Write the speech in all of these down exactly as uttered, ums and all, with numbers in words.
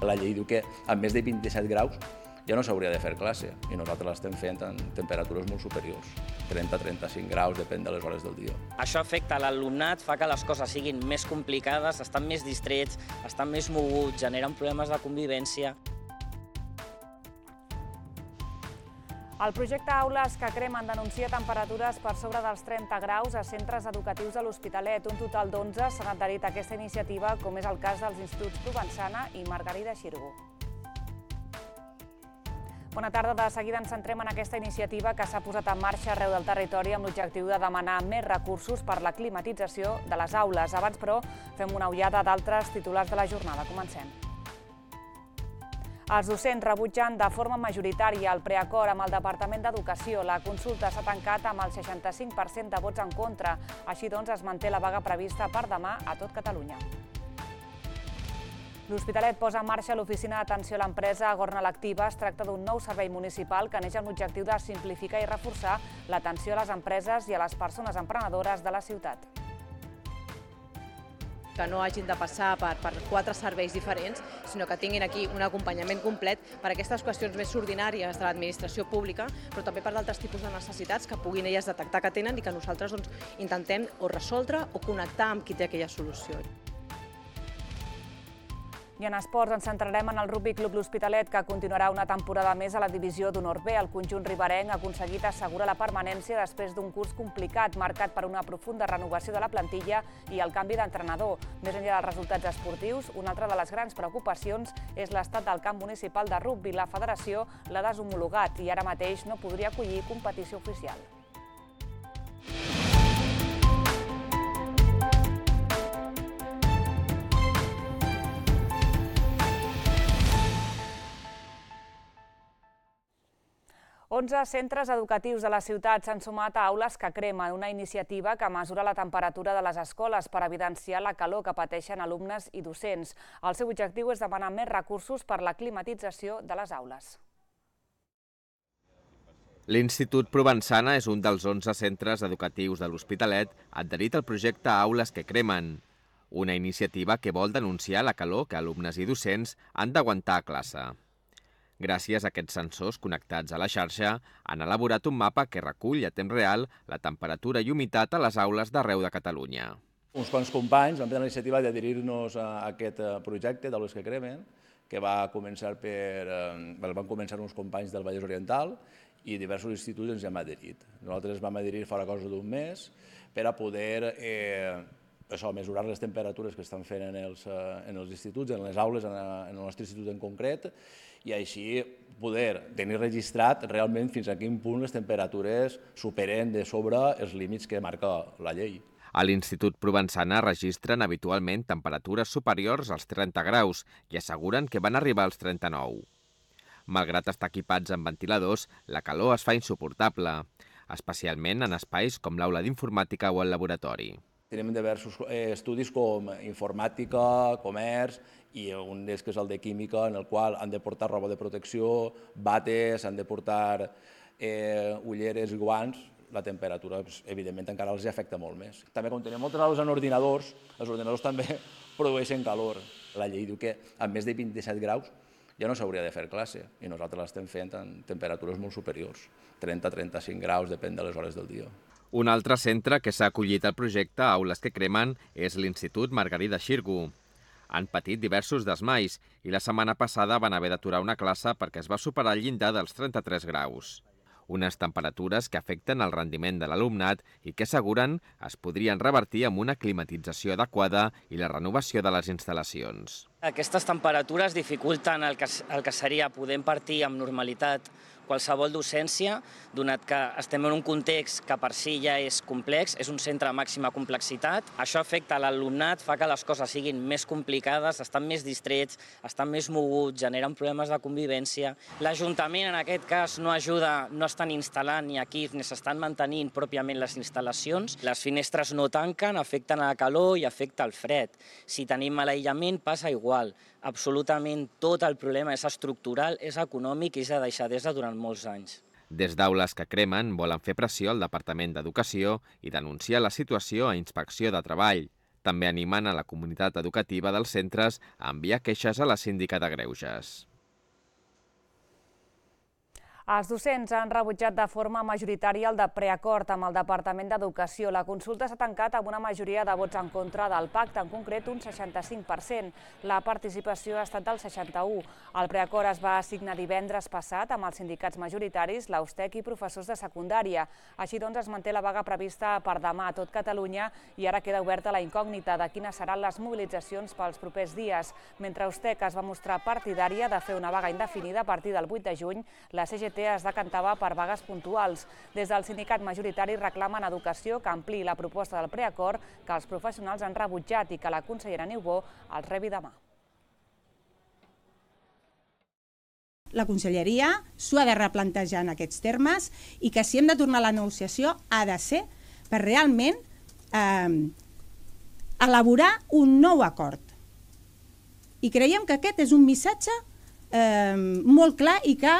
La llei diu que a més de vint-i-set graus ja no s'hauria de fer classe i nosaltres l'estem fent en temperatures molt superiors, trenta a trenta-cinc graus, depèn de les hores del dia. Això afecta l'alumnat, fa que les coses siguin més complicades, estan més distrets, estan més moguts, generen problemes de convivència. El projecte Aules que cremen denuncia temperatures per sobre dels trenta graus a centres educatius de l'Hospitalet. Un total d'onze s'han adherit a aquesta iniciativa, com és el cas dels instituts Provençana i Margarida Xirgu. Bona tarda. De seguida ens centrem en aquesta iniciativa que s'ha posat en marxa arreu del territori amb l'objectiu de demanar més recursos per la climatització de les aules. Abans, però, fem una ullada d'altres titulars de la jornada. Comencem. Els docents rebutgen de forma majoritària el preacord amb el Departament d'Educació. La consulta s'ha tancat amb el seixanta-cinc per cent de vots en contra. Així doncs, es manté la vaga prevista per demà a tot Catalunya. L'Hospitalet posa en marxa l'oficina d'atenció a l'empresa Gornal Activa. Es tracta d'un nou servei municipal que neix amb l'objectiu de simplificar i reforçar l'atenció a les empreses i a les persones emprenedores de la ciutat. Que no hagin de passar per, per quatre serveis diferents, sinó que tinguin aquí un acompanyament complet per a aquestes qüestions més ordinàries de l'administració pública, però també per d'altres tipus de necessitats que puguin elles detectar que tenen i que nosaltres doncs, intentem o resoldre o connectar amb qui té aquella solució. I en esports ens centrarem en el Rugby Club L'Hospitalet, que continuarà una temporada més a la divisió d'honor B. El conjunt riberenc ha aconseguit assegurar la permanència després d'un curs complicat, marcat per una profunda renovació de la plantilla i el canvi d'entrenador. Més enllà dels resultats esportius, una altra de les grans preocupacions és l'estat del camp municipal de rugby. La federació l'ha deshomologat i ara mateix no podria acollir competició oficial. onze centres educatius de la ciutat s'han sumat a Aules que cremen, una iniciativa que mesura la temperatura de les escoles per evidenciar la calor que pateixen alumnes i docents. El seu objectiu és demanar més recursos per la climatització de les aules. L'Institut Provençana és un dels onze centres educatius de l'Hospitalet adherit al projecte Aules que cremen, una iniciativa que vol denunciar la calor que alumnes i docents han d'aguantar a classe. Gràcies a aquests sensors connectats a la xarxa, han elaborat un mapa que recull a temps real la temperatura i humitat a les aules d'arreu de Catalunya. Uns quants companys vam prendre la iniciativa d'adherir-nos a aquest projecte d'Aules que cremen, que va començar per, van començar uns companys del Vallès Oriental i diversos instituts ens hem adherit. Nosaltres vam adherir fa cosa d'un mes per a poder eh, això, mesurar les temperatures que estan fent en els, en els instituts, en les aules, en el nostre institut en concret, i així poder tenir registrat realment fins a quin punt les temperatures superen de sobre els límits que marca la llei. A l'Institut Provençana registren habitualment temperatures superiors als trenta graus i asseguren que van arribar als trenta-nou. Malgrat estar equipats amb ventiladors, la calor es fa insuportable, especialment en espais com l'aula d'informàtica o el laboratori. Tenim diversos estudis com informàtica, comerç i un d'ells que és el de química, en el qual han de portar roba de protecció, bates, han de portar eh, ulleres i guants. La temperatura, evidentment, encara els afecta molt més. També, com tenim moltes aules en ordinadors, els ordinadors també produeixen calor. La llei diu que a més de vint-i-set graus ja no s'hauria de fer classe i nosaltres l'estem fent en temperatures molt superiors, trenta a trenta-cinc graus, depèn de les hores del dia. Un altre centre que s'ha acollit al projecte Aules que cremen és l'Institut Margarida Xirgu. Han patit diversos desmais i la setmana passada van haver d'aturar una classe perquè es va superar el llindar dels trenta-tres graus. Unes temperatures que afecten el rendiment de l'alumnat i que asseguren es podrien revertir amb una climatització adequada i la renovació de les instal·lacions. Aquestes temperatures dificulten el que, el que seria poder impartir amb normalitat qualsevol docència, donat que estem en un context que per si ja és complex, és un centre de màxima complexitat. Això afecta l'alumnat, fa que les coses siguin més complicades, estan més distrets, estan més moguts, generen problemes de convivència. L'Ajuntament, en aquest cas, no ajuda, no estan instal·lant ni equips ni s'estan mantenint pròpiament les instal·lacions. Les finestres no tanquen, afecten la calor i afecta el fred. Si tenim mal aïllament, passa igual. Absolutament tot el problema és estructural, és econòmic i és de deixadesa durant molts anys. Des d'Aules que cremen volen fer pressió al Departament d'Educació i denunciar la situació a Inspecció de Treball. També animen a la comunitat educativa dels centres a enviar queixes a la síndica de Greuges. Els docents han rebutjat de forma majoritària el de preacord amb el Departament d'Educació. La consulta s'ha tancat amb una majoria de vots en contra del pacte, en concret un seixanta-cinc per cent. La participació ha estat del seixanta-u per cent. El preacord es va signar divendres passat amb els sindicats majoritaris, l'A U S T E C i professors de secundària. Així doncs, es manté la vaga prevista per demà a tot Catalunya i ara queda oberta la incògnita de quines seran les mobilitzacions pels propers dies. Mentre A U S T E C es va mostrar partidària de fer una vaga indefinida a partir del vuit de juny, la C G T es decantava per vagues puntuals. Des del sindicat majoritari reclamen Educació que ampliï la proposta del preacord que els professionals han rebutjat i que la consellera Niubó els rebi demà. La conselleria s'ho ha de replantejar en aquests termes i que si hem de tornar a la negociació ha de ser per realment eh, elaborar un nou acord. I creiem que aquest és un missatge eh, molt clar i que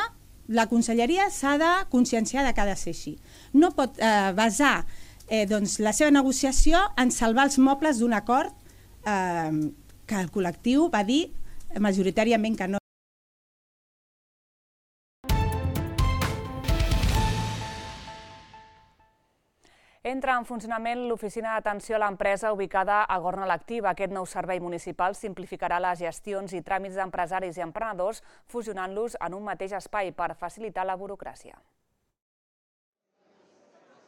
la conselleria s'ha de conscienciar de que ha de ser així. No pot eh, basar eh, doncs, la seva negociació en salvar els mobles d'un acord eh, que el col·lectiu va dir majoritàriament que no. Entra en funcionament l'oficina d'atenció a l'empresa ubicada a Gornal Activa. Aquest nou servei municipal simplificarà les gestions i tràmits d'empresaris i emprenedors, fusionant-los en un mateix espai per facilitar la burocràcia.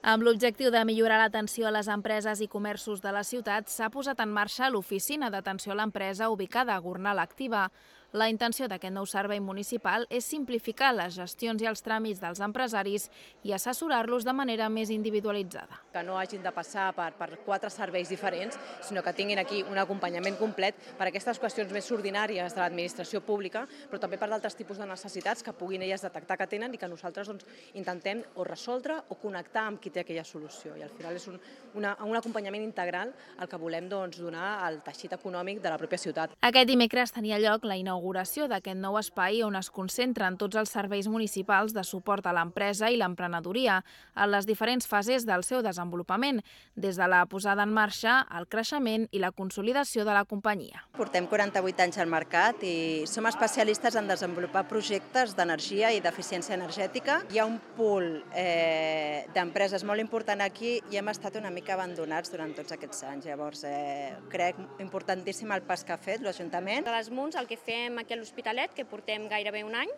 Amb l'objectiu de millorar l'atenció a les empreses i comerços de la ciutat, s'ha posat en marxa l'oficina d'atenció a l'empresa ubicada a Gornal Activa. La intenció d'aquest nou servei municipal és simplificar les gestions i els tràmits dels empresaris i assessorar-los de manera més individualitzada. Que no hagin de passar per, per quatre serveis diferents, sinó que tinguin aquí un acompanyament complet per aquestes qüestions més ordinàries de l'administració pública, però també per d'altres tipus de necessitats que puguin elles detectar que tenen i que nosaltres doncs, intentem o resoldre o connectar amb qui té aquella solució. I al final és un, una, un acompanyament integral al que volem doncs, donar al teixit econòmic de la pròpia ciutat. Aquest dimecres tenia lloc la inauguració d'aquest nou espai on es concentren tots els serveis municipals de suport a l'empresa i l'emprenedoria en les diferents fases del seu desenvolupament, des de la posada en marxa, el creixement i la consolidació de la companyia. Portem quaranta-vuit anys al mercat i som especialistes en desenvolupar projectes d'energia i d'eficiència energètica. Hi ha un pool eh, d'empreses molt important aquí i hem estat una mica abandonats durant tots aquests anys. Llavors, eh, crec importantíssim el pas que ha fet l'Ajuntament. A les Munts el que fem aquí a l'Hospitalet, que portem gairebé un any,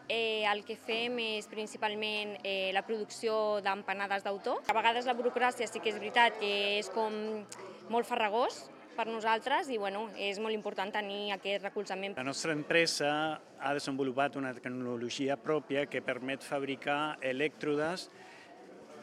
eh, el que fem és principalment eh, la producció d'empanades d'autor. A vegades la burocràcia sí que és veritat que és com molt farragós per nosaltres i bueno, és molt important tenir aquest recolzament. La nostra empresa ha desenvolupat una tecnologia pròpia que permet fabricar elèctrodes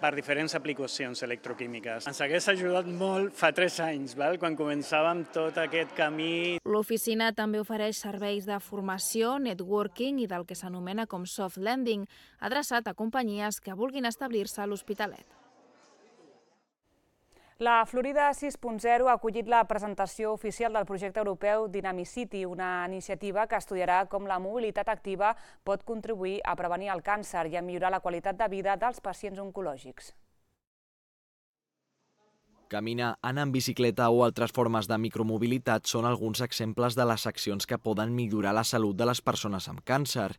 per diferents aplicacions electroquímiques. Ens hagués ajudat molt fa tres anys, val? Quan començàvem tot aquest camí. L'oficina també ofereix serveis de formació, networking i del que s'anomena com soft landing, adreçat a companyies que vulguin establir-se a l'Hospitalet. La Florida sis punt zero ha acollit la presentació oficial del projecte europeu Dynamicity, una iniciativa que estudiarà com la mobilitat activa pot contribuir a prevenir el càncer i a millorar la qualitat de vida dels pacients oncològics. Caminar, anar en bicicleta o altres formes de micromobilitat són alguns exemples de les accions que poden millorar la salut de les persones amb càncer.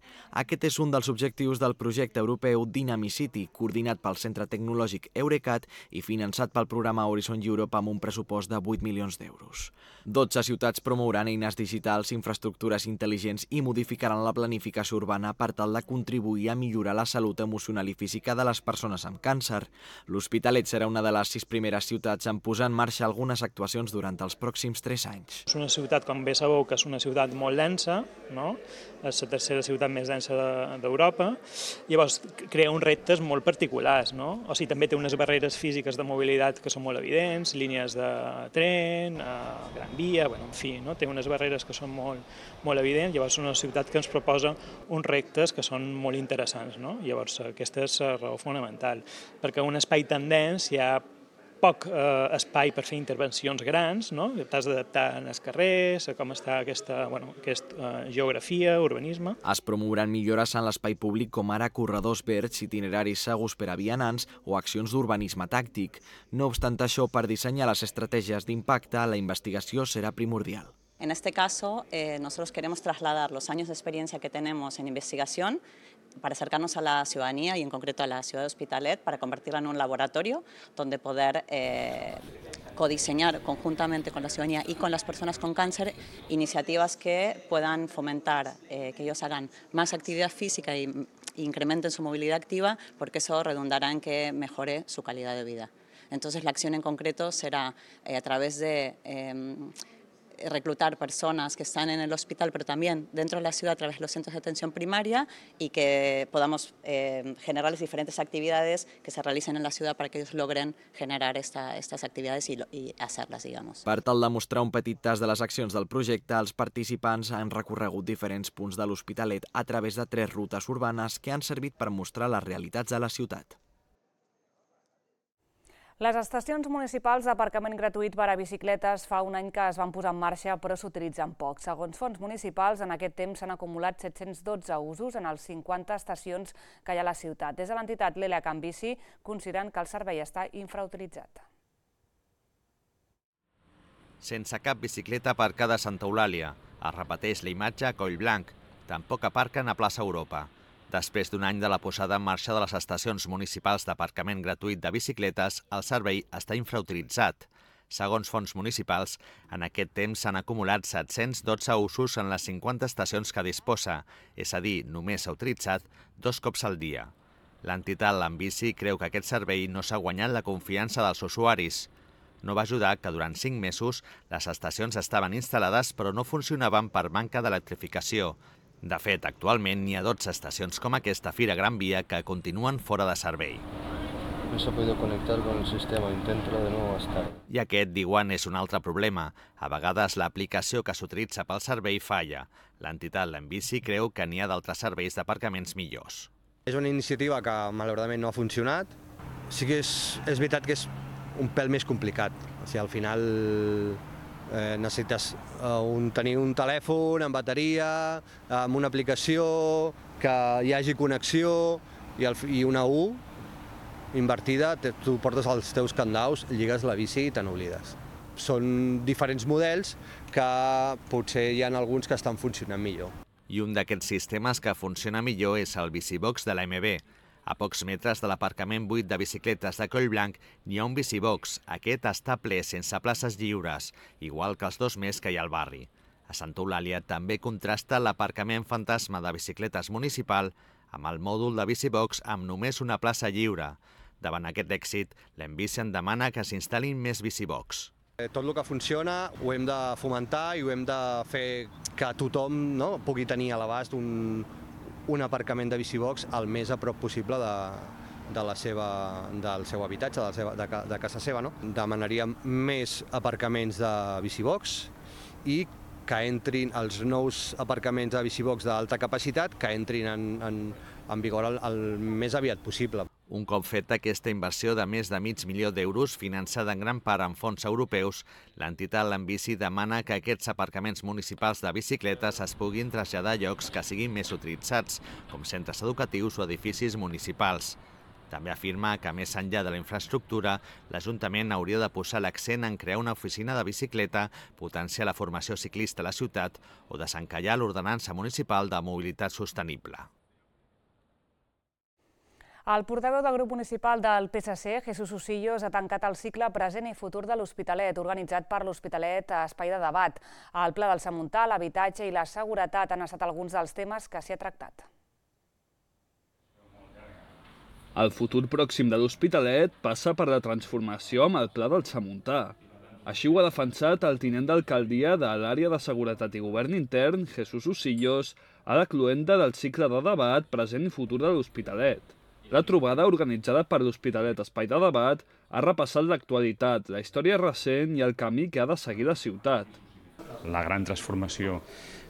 Aquest és un dels objectius del projecte europeu Dynamicity, coordinat pel Centre Tecnològic Eurecat i finançat pel programa Horizon Europe amb un pressupost de vuit milions d'euros. dotze ciutats promouran eines digitals, infraestructures intel·ligents i modificaran la planificació urbana per tal de contribuir a millorar la salut emocional i física de les persones amb càncer. L'Hospitalet serà una de les sis primeres ciutats en posar en marxa algunes actuacions durant els pròxims tres anys. És una ciutat, com bé sabeu, que és una ciutat molt densa, no? És la tercera ciutat més densa d'Europa, llavors crea uns reptes molt particulars, no? O sigui, també té unes barreres físiques de mobilitat que són molt evidents, línies de tren, gran via, bueno, en fi, no? Té unes barreres que són molt, molt evidents, llavors és una ciutat que ens proposa uns reptes que són molt interessants, no? Llavors aquesta és la raó fonamental, perquè un espai tan dens hi ha poc eh, espai per fer intervencions grans, no? T'has d'adaptar als carrers, a com està aquesta, bueno, aquesta eh, geografia, urbanisme. Es promouran millores en l'espai públic com ara corredors verds, itineraris segurs per a vianants o accions d'urbanisme tàctic. No obstant això, per dissenyar les estratègies d'impacte, la investigació serà primordial. En este caso, eh, nosotros queremos trasladar los años de experiencia que tenemos en investigación para acercarnos a la ciudadanía y en concreto a la ciudad de Hospitalet para convertirla en un laboratorio donde poder eh, codiseñar conjuntamente con la ciudadanía y con las personas con cáncer iniciativas que puedan fomentar eh, que ellos hagan más actividad física y, y incrementen su movilidad activa, porque eso redundará en que mejore su calidad de vida. Entonces la acción en concreto será eh, a través de eh, reclutar personas que están en el hospital, pero también dentro de la ciudad a través de los centros de atención primaria y que podamos eh, generarles diferentes actividades que se realicen en la ciudad para que ellos logren generar esta, estas actividades y, y hacerlas, digamos. Per tal de mostrar un petit tas de les accions del projecte, els participants han recorregut diferents punts de l'Hospitalet a través de tres rutes urbanes que han servit per mostrar les realitats de la ciutat. Les estacions municipals d'aparcament gratuït per a bicicletes fa un any que es van posar en marxa, però s'utilitzen poc. Segons fons municipals, en aquest temps s'han acumulat set-cents dotze usos en les cinquanta estacions que hi ha a la ciutat. Des de l'entitat L'Ela Can Bici consideren que el servei està infrautilitzat. Sense cap bicicleta aparcada a Santa Eulàlia. Es repeteix la imatge a Collblanc. Tampoc aparquen a plaça Europa. Després d'un any de la posada en marxa de les estacions municipals d'aparcament gratuït de bicicletes, el servei està infrautilitzat. Segons fons municipals, en aquest temps s'han acumulat set-cents dotze usos en les cinquanta estacions que disposa, és a dir, només s'ha utilitzat dos cops al dia. L'entitat L'Ambici creu que aquest servei no s'ha guanyat la confiança dels usuaris. No va ajudar que durant cinc mesos les estacions estaven instal·lades però no funcionaven per manca d'electrificació. De fet, actualment n'hi ha dotze estacions com aquesta Fira Gran Via que continuen fora de servei. No s'ha pogut connectar con el sistema, intenta de nou estar. I aquest, diuen, és un altre problema. A vegades l'aplicació que s'utilitza pel servei falla. L'entitat L'Ambici creu que n'hi ha d'altres serveis d'aparcaments millors. És una iniciativa que malauradament no ha funcionat. Sí que és, és veritat que és un pèl més complicat. O sigui, al final Eh, necessites eh, un, tenir un telèfon amb bateria, amb una aplicació, que hi hagi connexió i, el, i una U invertida, te, tu portes els teus candaus, lligues la bici i te n'oblides. Són diferents models que potser hi ha alguns que estan funcionant millor. I un d'aquests sistemes que funciona millor és el Bicibox de l'A M B. A pocs metres de l'aparcament buit de bicicletes de Collblanc n'hi ha un bicibox. Aquest està ple sense places lliures, igual que els dos més que hi ha al barri. A Santa Eulàlia també contrasta l'aparcament fantasma de bicicletes municipal amb el mòdul de bicibox amb només una plaça lliure. Davant aquest èxit, l'Ambici en demana que s'instal·lin més bicibox. Tot el que funciona ho hem de fomentar i ho hem de fer que tothom, no, pugui tenir a l'abast un un aparcament de bicibox el més a prop possible de, de la seva, del seu habitatge, de, la seva, de, de casa seva. No? Demanaríem més aparcaments de bicibox i que entrin els nous aparcaments de bicibox d'alta capacitat, que entrin en, en, en vigor el, el més aviat possible. Un cop feta aquesta inversió de més de mig milió d'euros, finançada en gran part amb fons europeus, l'entitat L'Ambici demana que aquests aparcaments municipals de bicicletes es puguin traslladar a llocs que siguin més utilitzats, com centres educatius o edificis municipals. També afirma que, més enllà de la infraestructura, l'Ajuntament hauria de posar l'accent en crear una oficina de bicicleta, potenciar la formació ciclista a la ciutat o desencallar l'ordenança municipal de mobilitat sostenible. El portaveu del grup municipal del P S C, Jesús Usillos, ha tancat el cicle Present i Futur de l'Hospitalet, organitzat per l'Hospitalet Espai de Debat. El Pla del Samuntar, l'habitatge i la seguretat han estat alguns dels temes que s'hi ha tractat. El futur pròxim de l'Hospitalet passa per la transformació amb el Pla del Samuntar. Així ho ha defensat el tinent d'alcaldia de l'àrea de Seguretat i Govern Intern, Jesús Usillos, a la cloenda del cicle de debat Present i Futur de l'Hospitalet. La trobada, organitzada per l'Hospitalet Espai de Debat, ha repassat l'actualitat, la història recent i el camí que ha de seguir la ciutat. la gran transformació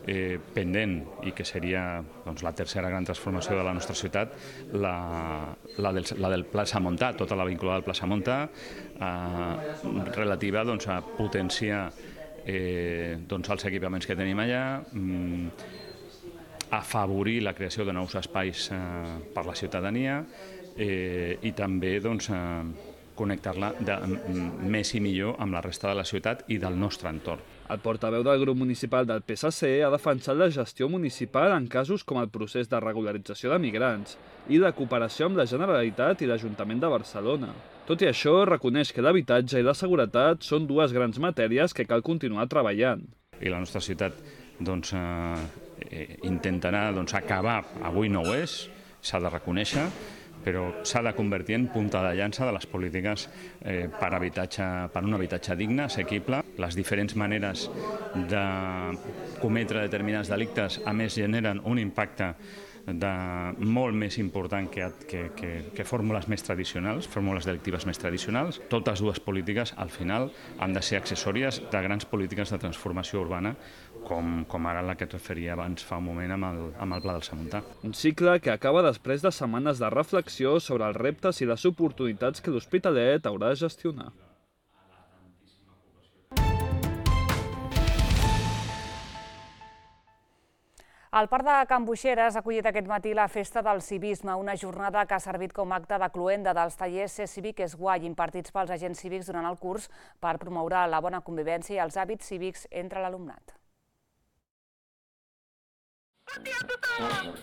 eh, pendent i que seria doncs, la tercera gran transformació de la nostra ciutat, la, la, del, la del Plaça Montà, tota la vinculada al Plaça Montà, eh, relativa doncs, a potenciar eh, doncs, els equipaments que tenim allà, mm, afavorir la creació de nous espais eh, per la ciutadania eh, i també doncs, eh, connectar-la més i millor amb la resta de la ciutat i del nostre entorn. El portaveu del grup municipal del P S C ha defensat la gestió municipal en casos com el procés de regularització de migrants i la cooperació amb la Generalitat i l'Ajuntament de Barcelona. Tot i això, reconeix que l'habitatge i la seguretat són dues grans matèries que cal continuar treballant. I la nostra ciutat doncs, eh, intentarà doncs, acabar, avui no ho és, s'ha de reconèixer, però s'ha de convertir en punta de llança de les polítiques eh, per, habitatge, per un habitatge digne, assequible. Les diferents maneres de cometre determinats delictes, a més, generen un impacte de molt més important que, que, que, que fórmules més tradicionals, fórmules delictives més tradicionals. Totes dues polítiques, al final, han de ser accessòries de grans polítiques de transformació urbana, com, com ara la que et referia abans fa un moment amb el, amb el Pla del Samontà. Un cicle que acaba després de setmanes de reflexió sobre els reptes i les oportunitats que l'Hospitalet haurà de gestionar. El Parc de Can Boixeres ha acollit aquest matí la Festa del Civisme, una jornada que ha servit com acte de cloenda dels tallers Ser Cívic és guai impartits pels agents cívics durant el curs per promoure la bona convivència i els hàbits cívics entre l'alumnat. Bon dia a tothom!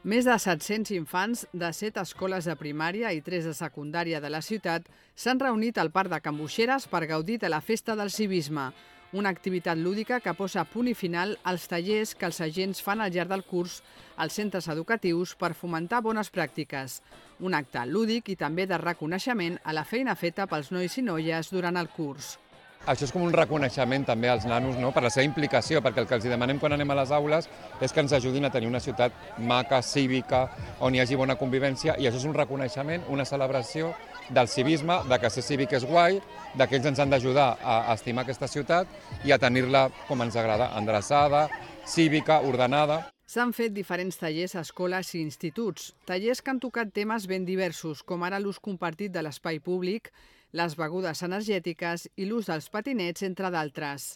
Més de set-cents infants de set escoles de primària i tres de secundària de la ciutat s'han reunit al Parc de Can Boixeres per gaudir de la Festa del Civisme, una activitat lúdica que posa punt i final als tallers que els agents fan al llarg del curs als centres educatius per fomentar bones pràctiques. Un acte lúdic i també de reconeixement a la feina feta pels nois i noies durant el curs. Això és com un reconeixement també als nanos, no?, per la seva implicació, perquè el que els demanem quan anem a les aules és que ens ajudin a tenir una ciutat maca, cívica, on hi hagi bona convivència, i això és un reconeixement, una celebració del civisme, de que ser cívic és guai, de que ells ens han d'ajudar a estimar aquesta ciutat i a tenir-la com ens agrada, endreçada, cívica, ordenada. S'han fet diferents tallers a escoles i instituts, tallers que han tocat temes ben diversos, com ara l'ús compartit de l'espai públic, les begudes energètiques i l'ús dels patinets, entre d'altres.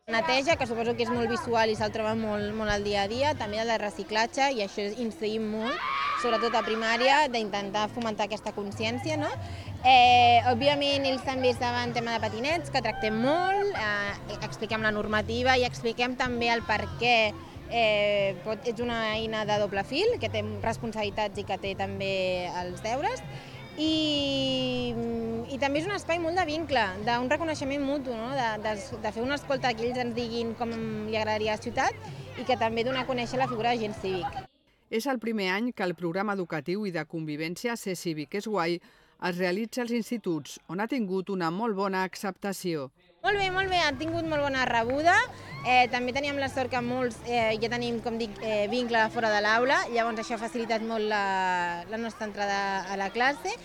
Neteja, que suposo que és molt visual i se'l troba molt, molt al dia a dia, també el de reciclatge, i això incidim molt, sobretot a primària, d'intentar fomentar aquesta consciència, no? Eh, òbviament, ells també saben tema de patinets, que tractem molt, eh, expliquem la normativa i expliquem també el per què eh, pot, és una eina de doble fil, que té responsabilitats i que té també els deures. I, i també és un espai molt de vincle, d'un reconeixement mutu, no? de, de, de fer una escolta que ells ens diguin com li agradaria a la ciutat i que també donar a conèixer la figura d'agent cívic. És el primer any que el programa educatiu i de convivència Ser Cívic és guai es realitza als instituts, on ha tingut una molt bona acceptació. Molt bé, molt bé, ha tingut molt bona rebuda. Eh, també teníem la sort que molts eh, ja tenim, com dic, eh, vincle fora de l'aula, llavors això ha facilitat molt la, la nostra entrada a la classe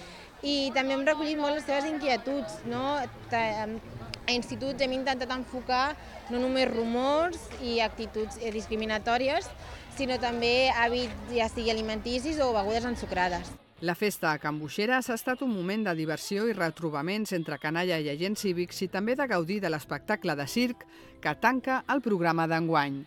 i també hem recollit molt les seves inquietuds, no? A instituts hem intentat enfocar no només rumors i actituds discriminatòries, sinó també hàbits, ja sigui alimenticis o begudes ensucrades. La festa a Can Boixeres ha estat un moment de diversió i retrobaments entre canalla i agents cívics i també de gaudir de l'espectacle de circ que tanca el programa d'enguany.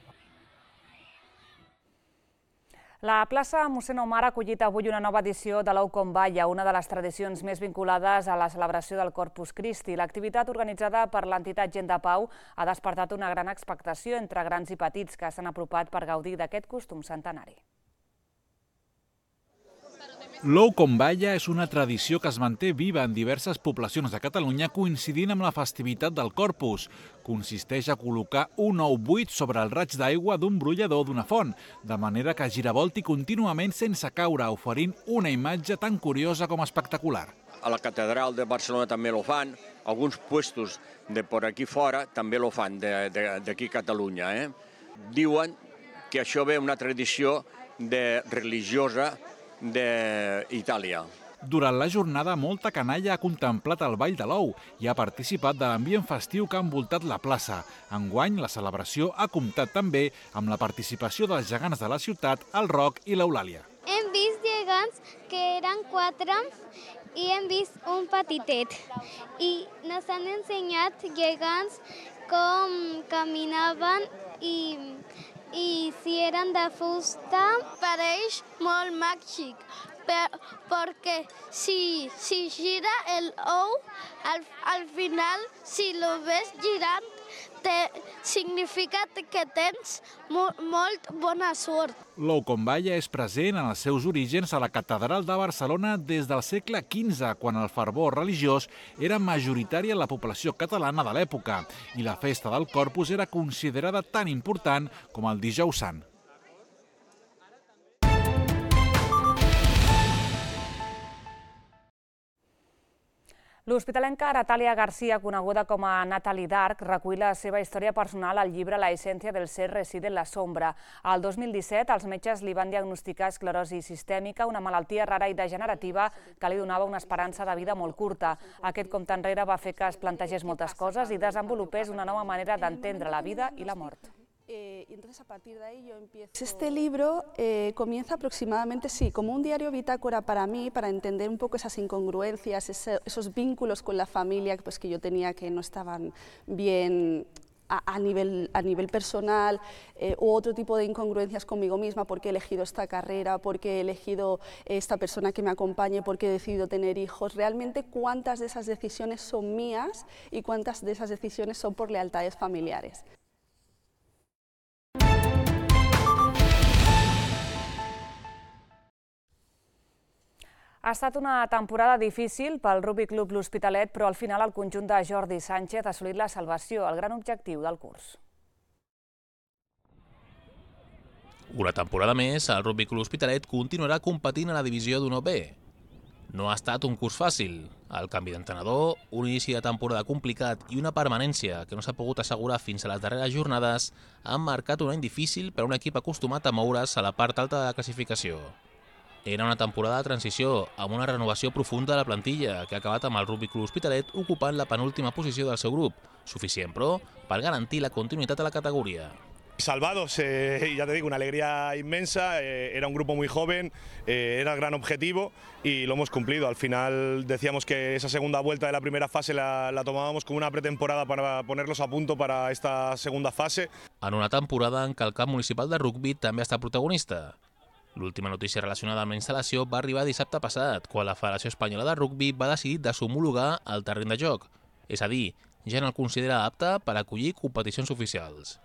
La plaça Mossèn Omar ha acollit avui una nova edició de l'Oucom Balla, una de les tradicions més vinculades a la celebració del Corpus Christi. L'activitat organitzada per l'entitat Gent de Pau ha despertat una gran expectació entre grans i petits que s'han apropat per gaudir d'aquest costum centenari. L'Oucom Balla és una tradició que es manté viva en diverses poblacions de Catalunya coincidint amb la festivitat del Corpus. Consisteix a col·locar un ou buit sobre el raig d'aigua d'un brollador d'una font, de manera que giravolti contínuament sense caure, oferint una imatge tan curiosa com espectacular. A la catedral de Barcelona també lo fan, alguns puestos de por aquí fora també lo fan, d'aquí a Catalunya. Eh? Diuen que això ve una tradició de religiosa d'Itàlia. Durant la jornada, molta canalla ha contemplat el Ball de l'Ou i ha participat de l'ambient festiu que ha envoltat la plaça. Enguany, la celebració ha comptat també amb la participació dels gegants de la ciutat, el Roc i l'Eulàlia. Hem vist gegants que eren quatre i hem vist un petitet. I nos han ensenyat gegants com caminaven i, i si eren de fusta. Pareix molt màgic, perquè si, si gira el ou, al, al final, si lo ves girant, te, significa que tens mo, molt bona sort. L'ou com balla és present en els seus orígens a la Catedral de Barcelona des del segle quinze, quan el fervor religiós era majoritari en la població catalana de l'època i la festa del Corpus era considerada tan important com el Dijous Sant. L'hospitalenca Natàlia Garcia, coneguda com a Natalie Dark, recull la seva història personal al llibre La essència del ser reside en la sombra. El dos mil disset, els metges li van diagnosticar esclerosi sistèmica, una malaltia rara i degenerativa que li donava una esperança de vida molt curta. Aquest compte enrere va fer que es plantegés moltes coses i desenvolupés una nova manera d'entendre la vida i la mort. Eh, y entonces a partir de ahí yo empiezo... Este libro eh, comienza aproximadamente, sí, como un diario bitácora para mí, para entender un poco esas incongruencias, ese, esos vínculos con la familia pues, que yo tenía que no estaban bien a, a, nivel, a nivel personal, eh, u otro tipo de incongruencias conmigo misma, porque he elegido esta carrera, porque he elegido esta persona que me acompañe, porque he decidido tener hijos. Realmente cuántas de esas decisiones son mías y cuántas de esas decisiones son por lealtades familiares. Ha estat una temporada difícil pel Rugby Club L'Hospitalet, però al final el conjunt de Jordi Sánchez ha assolit la salvació, el gran objectiu del curs. Una temporada més, el Rugby Club L'Hospitalet continuarà competint a la divisió d'U N O B. No ha estat un curs fàcil. El canvi d'entrenador, un inici de temporada complicat i una permanència que no s'ha pogut assegurar fins a les darreres jornades han marcat un any difícil per a un equip acostumat a moure's a la part alta de la classificació. Era una temporada de transició, amb una renovació profunda de la plantilla, que ha acabat amb el Rugby Club L'Hospitalet ocupant la penúltima posició del seu grup, suficient, però, per garantir la continuïtat de la categoria. Salvados, eh, ya te digo, una alegría inmensa, eh, era un grupo muy joven, eh, era el gran objetivo y lo hemos cumplido. Al final decíamos que esa segunda vuelta de la primera fase la, la tomábamos como una pretemporada para ponerlos a punto para esta segunda fase. En una temporada en què el camp municipal de rugby també ha estat protagonista. L'última notícia relacionada amb la instal·lació va arribar dissabte passat, quan la Federació Espanyola de Rugby va decidir deshomologar el terreny de joc, és a dir, ja no el considera apte per acollir competicions oficials.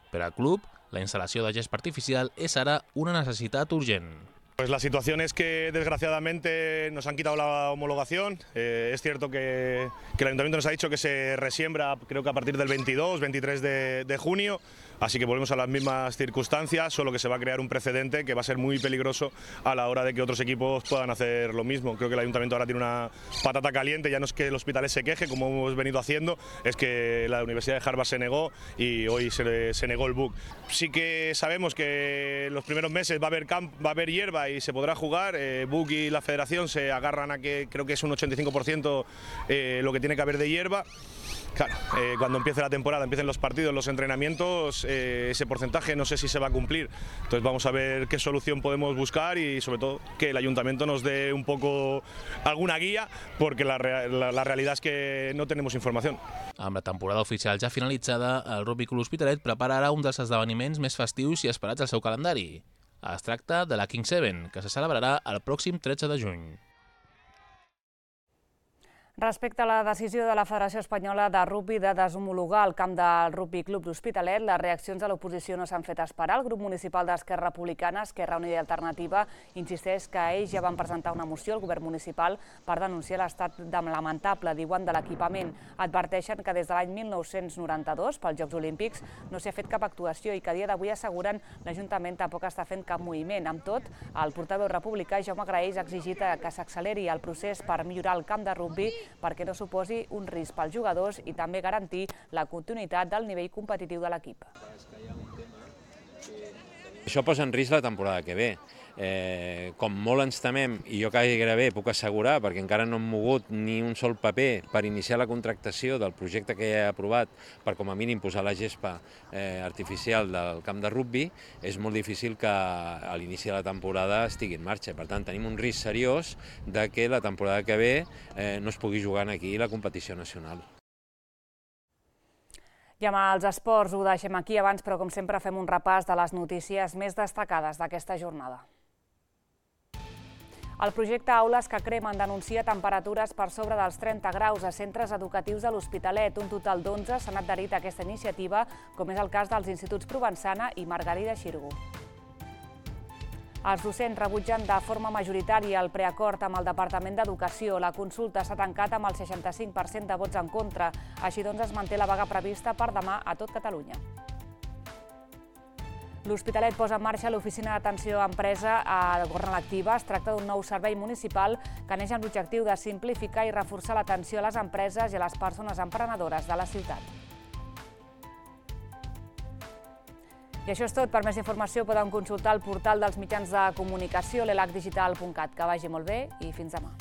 Per al club, la instal·lació de gest artificial és ara una necessitat urgent. Pues la situación es que desgraciadamente nos han quitado la homologación. Eh, es cierto que, que el Ayuntamiento nos ha dicho que se resiembra creo que a partir del veintidós, veintitrés de, de junio, así que volvemos a las mismas circunstancias, solo que se va a crear un precedente que va a ser muy peligroso a la hora de que otros equipos puedan hacer lo mismo. Creo que el Ayuntamiento ahora tiene una patata caliente, ya no es que el Hospitalet se queje como hemos venido haciendo, es que la Universidad de Harvard se negó y hoy se, se negó el B U C. Sí que sabemos que en los primeros meses va a haber, camp, va a haber hierba y se podrá jugar. eh, B U C y la Federación se agarran a que creo que es un ochenta y cinco por ciento eh, lo que tiene que haber de hierba. Claro, eh, cuando empiece la temporada, empiecen los partidos, los entrenamientos, eh, ese porcentaje no sé si se va a cumplir. Entonces vamos a ver qué solución podemos buscar y sobre todo que el Ayuntamiento nos dé un poco alguna guía, porque la, la, la realidad es que no tenemos información. Amb la temporada oficial ja finalitzada, el Rugby Club L'Hospitalet prepara ara un dels esdeveniments més festius i esperats al seu calendari. Es tracta de la King Seven, que se celebrarà el pròxim tretze de juny. Respecte a la decisió de la Federació Espanyola de Rugby de deshomologar el camp del Rugby Club L'Hospitalet, les reaccions de l'oposició no s'han fet esperar. El grup municipal d'Esquerra Republicana, Esquerra Unida i Alternativa, insisteix que ells ja van presentar una moció al govern municipal per denunciar l'estat lamentable, diuen, de l'equipament. Adverteixen que des de l'any mil nou-cents noranta-dos, pels Jocs Olímpics, no s'hi ha fet cap actuació i que a dia d'avui asseguren l'Ajuntament tampoc està fent cap moviment. Amb tot, el portaveu republicà Jaume Graells ha exigit que s'acceleri el procés per millorar el camp de rugby perquè no suposi un risc pels jugadors i també garantir la continuïtat del nivell competitiu de l'equip. Això posa en risc la temporada que ve. Eh, com molt ens temem, i jo gairebé puc assegurar, perquè encara no hem mogut ni un sol paper per iniciar la contractació del projecte que ja he aprovat per com a mínim posar la gespa eh, artificial del camp de rugbi, és molt difícil que a l'inici de la temporada estigui en marxa. Per tant, tenim un risc seriós de que la temporada que ve eh, no es pugui jugar aquí la competició nacional. I amb els esports ho deixem aquí abans, però com sempre fem un repàs de les notícies més destacades d'aquesta jornada. El projecte Aules que Cremen denuncia temperatures per sobre dels trenta graus a centres educatius de l'Hospitalet. Un total d'onze s'han adherit a aquesta iniciativa, com és el cas dels instituts Provençana i Margarida Xirgu. Els docents rebutgen de forma majoritària el preacord amb el Departament d'Educació. La consulta s'ha tancat amb el seixanta-cinc per cent de vots en contra. Així doncs es manté la vaga prevista per demà a tot Catalunya. L'Hospitalet posa en marxa l'oficina d'atenció a empresa a Gornal Activa. Es tracta d'un nou servei municipal que neix amb l'objectiu de simplificar i reforçar l'atenció a les empreses i a les persones emprenedores de la ciutat. I això és tot. Per més informació podeu consultar el portal dels mitjans de comunicació, l'elac digital punt cat. Que vagi molt bé i fins demà.